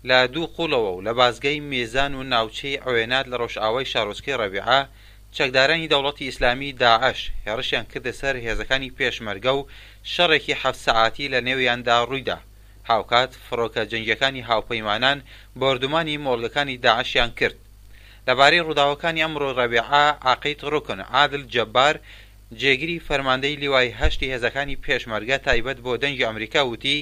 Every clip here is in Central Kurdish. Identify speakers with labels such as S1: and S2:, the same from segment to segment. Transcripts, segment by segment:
S1: لە دوو قوڵەوە و لە بازگەی مێزان و ناوچەی عوێنات لە ڕۆژئاوای شارۆچکەی ڕەبیعە، چەکدارانی دەوڵەتی ئیسلامی، داعش، هێڕشیان کردە سەر هێزەکانی پێشمەرگە و شەڕێکی حەفت سەعاتی لە نێویاندا ڕوویدا. هاوکات فڕۆکە جەنگییەکانی هاوپەیمانان بۆردومانی مۆڵگەکانی داعشیان کرد. لەبارەی ڕووداوەکانی ئەمڕۆ ڕەبیعە، عەقید ڕوکن عادل جەبار، جێگری فەرماندەی لیوای هەشتی هێزەکانی پێشمەرگە تایبەت بۆ دەنگی ئەمریکا وتی،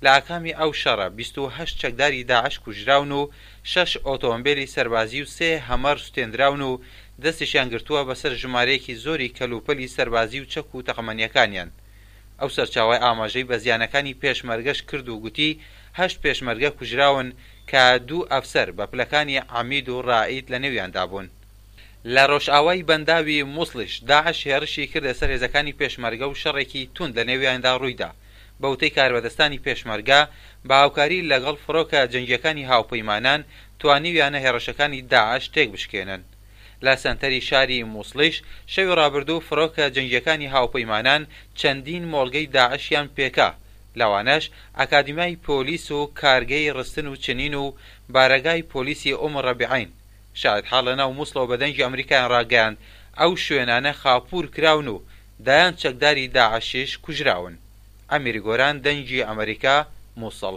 S1: لە ئاکامی ئەو شەڕە 28 چەکداری داعش کوژراون و شەش ئۆتۆمبێلی سەربازی و سێ هەمەر سوتێندراون و دەستیشیان گرتووە بەسەر ژمارەیەکی زۆری کەلوپەلی سەربازی و چەک و تەقەمەنییەکانیان. ئەو سەرچاوە ئاماژەی بە زیانەکانی پێشمەرگەش کرد و گوتی، هەشت پێشمەرگە کوژراون کە دوو ئەفسەر بە پلەکانی عەمید و رائید لەنێویاندا بوون. لە رۆژئاوای بەنداوی موسڵیش داعش هێڕشی کردە سەر هێزەکانی پێشمەرگە و شەڕێکی توند لەنێویاندا روویدا. بە وتەی کاربەدەستانی پێشمەرگە، بە هاوکاری لەگەڵ فڕۆکە جەنگییەکانی هاوپەیمانان توانیویانە هێڕشەکانی داعش تێکبشکێنن. لە سەنتەری شاری موسڵیش شەوی ڕابردوو فڕۆکە جەنگییەکانی هاوپەیمانان چەندین مۆڵگەی داعشیان پێکا، لەوانەش ئەکادیمیای پۆلیس و کارگەی ڕستن و چنین و بارەگای پۆلیسی ئوم ڕەبیعەین. شاهیدحاڵ لەناو موسڵەوە بە دەنگی ئەمریکایان ڕاگەیاند، ئەو شوێنانە خاپوور کراون و دەیان چەکداری داعشیش کوژراون. ئەمیر گۆران، دەنگی ئەمریکا، موسڵ.